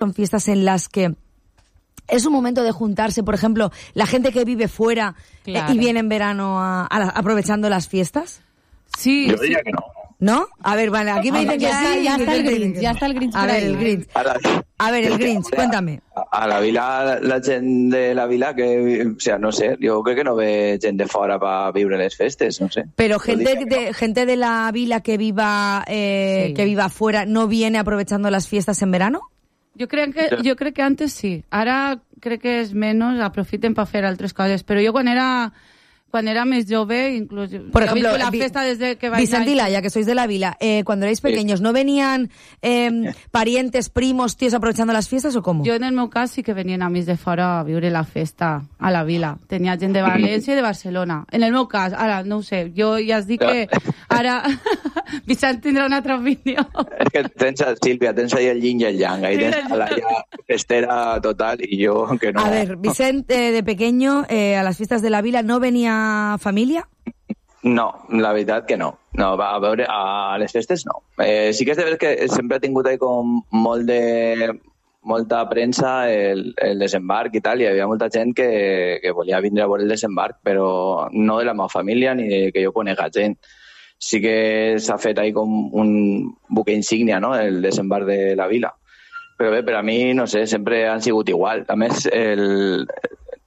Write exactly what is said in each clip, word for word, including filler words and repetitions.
son fiestas en las que es un momento de juntarse, por ejemplo, la gente que vive fuera claro. eh, y viene en verano a, a la, aprovechando las fiestas. Sí, yo diría sí. que no. ¿No? A ver, vale, aquí me dicen que ya, sí. Ya está el Grinch, ya está el Grinch. A ver, el Grinch. A ver, el Grinch, cuéntame. A la vila, la gent de la vila, que, o sea, no sé, jo crec que no ve gent de fora para viure les festes, no sé. Pero gente de, no. gente de la vila que viva eh, sí. que viva afuera, ¿no viene aprovechando las fiestas en verano? Jo crec que, jo crec que antes sí. Ara crec que és menys, aprofiten per fer altres coses. Però jo quan era... Cuando era más jove, incluso... Por ejemplo, la fiesta desde que Vicent y Laia, que sois de la vila, eh, cuando erais pequeños, ¿no venían eh, parientes, primos, tíos aprovechando las fiestas o cómo? Jo, en el meu cas, sí que venien amics de fora a viure la festa a la vila. Tenia gent de València i de Barcelona. En el meu cas, ara, no ho sé, jo ja es dic que ara Vicent tindrà una altra opinió. És que tens, Sílvia, tens ahí el yin i el yang, ahí tens a Laia festera total y yo que no. A ver, Vicent, eh, de pequeño, eh, a las fiestas de la vila, ¿no venía família? No, la veritat que no. No, va, a veure, a les festes no. Eh, sí que és de veres que sempre ha tingut ahí com molt de... molta premsa el, el desembarc i tal, i hi havia molta gent que, que volia vindre a veure el desembarc, però no de la meva família ni de que jo conega gent. Sí que s'ha fet ahí com un buque insígnia, no?, el desembarc de la vila. Però bé, per a mi, no sé, sempre han sigut igual. A més, el...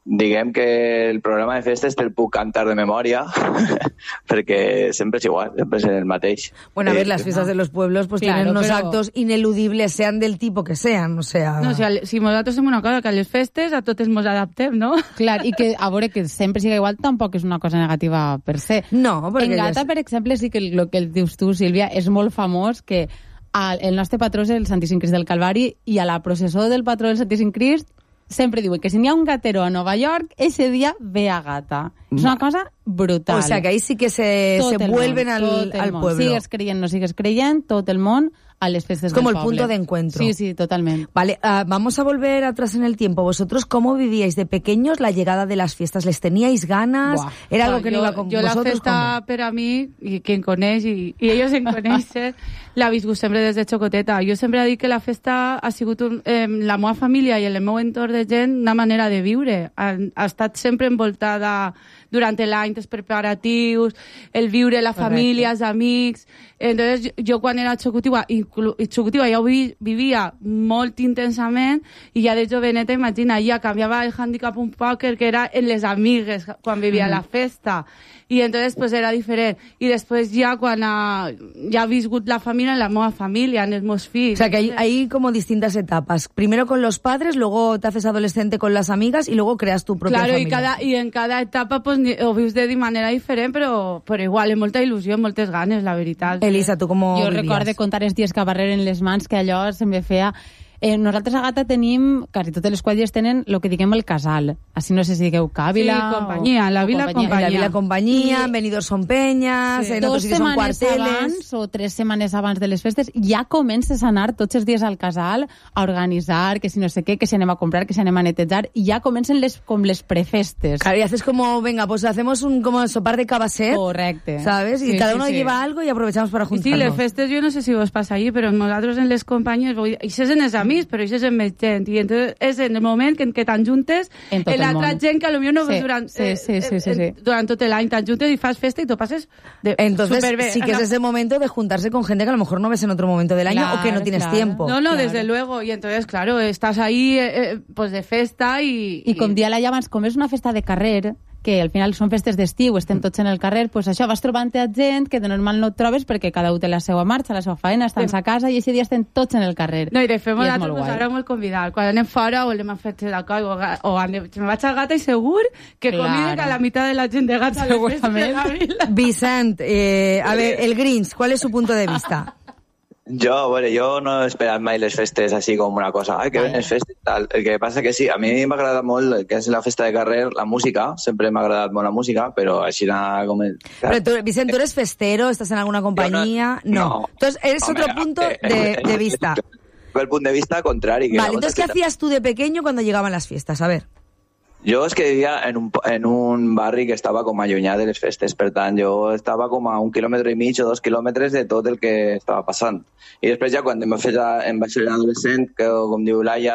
diguem que el programa de festes te'l puc cantar de memòria perquè sempre és igual, sempre és el mateix. Bueno, a ver, las fiestas de los pueblos pues claro, tienen unos pero... actos ineludibles, sean del tipo que sean, o sea... No, o sea, si nosaltres fem una cosa, que a les festes a totes mos adaptem, no? Clar, i que a veure que sempre siga igual tampoc és una cosa negativa per se. No, perquè... En Gata, per exemple, sí que el que dius tu, Sílvia, és molt famós que el nostre patró és el Santíssim Crist del Calvari i a la processó del patró del Santíssim Crist sempre diuen que si n'hi ha un gatero a Nova York, ese día ve a Gata. No. És una cosa brutal. O sea, que ahí sí que se, se vuelven món, al, al pueblo. Sigues creient, no sigues creient, tot el món a les festes es como del el poble. Punto de encuentro. Sí, sí, totalmente. Vale, uh, vamos a volver atrás en el tiempo. ¿Vosotros cómo vivíais de pequeños la llegada de las fiestas? ¿Les teníais ganas? Buah. ¿Era algo no, que jo, no iba con jo vosotros? Jo la festa per a mi, i qui em coneix, i, i ells em coneixen, l'ha viscut sempre des de xocoteta. Jo sempre he dit que la festa ha sigut un, eh, la meva família i el meu entorn de gent una manera de viure. Ha, ha estat sempre envoltada durant l'any dels preparatius, el viure la família, els amics. Entonces, jo, jo quan era xocotiva, xocotiva ja ho vi, vivia molt intensament i ja de joveneta, imagina, ja canviava el handicap un poc que era en les amigues quan vivia mm. la festa. Y entonces pues era diferente. Y después ya cuando ya ha viscut la familia, en la nueva familia, en els meus fills. O sea que hay, hay como distintas etapas. Primero con los padres, luego te haces adolescente con las amigas y luego creas tu propia claro, familia. Claro, y, cada, y en cada etapa pues ho vius de manera diferent, però, però igual, amb molta il·lusió, amb moltes ganes, la veritat. Elisa, tu com Jo vivies? recorde contar els dies que barreren les mans, que allò se'm feia... Eh, nosaltres a Gata tenim, quasi totes les quadrilles tenen el que diguem el casal. Així no sé si digueu Càvila... Sí, companyia, la Vila Companyia. La Vila Companyia, I... venidos son peñas, sí. En Dos otros sitios son cuarteles... abans o tres setmanes abans de les festes ja comences a anar tots els dies al casal a organitzar, que si no sé què, que si anem a comprar, que si anem a netejar, i ja comencen les, com les prefestes. Claro, y haces como, venga, pues hacemos un como sopar de cabasset. Correcte. ¿Sabes? Y sí, cada uno sí, lleva sí. algo y aprovechamos para juntarnos. Sí, les festes, jo no sé si vos passa allí, però nosaltres en les companyies, això és en els amics, però això és en més gent, i entonces és en el moment que, que t'enjuntes en, en l'altra gent que potser no sí, durant, sí, sí, sí, sí, sí. durant tot l'any t'enjuntes i fas festa i t'ho passes de entonces superbé. Sí que es ese momento de juntarse con gente que a lo mejor no ves en otro momento del año claro, o que no tienes claro. tiempo. No, no, claro. desde luego, y entonces claro, estás ahí eh, pues de festa i... I com dia la abans, com és una festa de carrer, que al final són festes d'estiu, estem tots en el carrer, pues això, vas trobant-te a gent que de normal no et trobes perquè cada un té la seva marxa, la seva feina, estan a casa i aquest dia estem tots en el carrer. No, i de fet, nosaltres ens haurem molt convidat. Quan anem fora o anem a fer la cosa, o, o anem, me vaig a Gata i segur que claro. conviden a la meitat de la gent de Gata segurament. Vicent, eh, a ver, el Grinch, ¿cuál es su punto de vista? Jo, bueno, jo no he esperat mai les festes així com una cosa, ai, que ven les festes, tal. El que passa que sí, a mi m'agrada molt el que és la festa de carrer, la música, sempre m'ha agradat molt la música, però així nada com... El... Pero tú, Vicent, ¿tú eres festero? ¿Estás en alguna compañía? No. no. no. Entonces, eres Hombre, otro punto eh, de, de vista. El punto de vista contrario. Que vale, entonces, ¿qué hacías tú de pequeño cuando llegaban las fiestas? A ver. Jo és que vivia en un, en un barri que estava com allunyat de les festes, per tant, jo estava com a un quilòmetre i mig o dos quilòmetres de tot el que estava passant. I després ja quan em vaig fer, em vaig fer adolescent, que com diu Laia,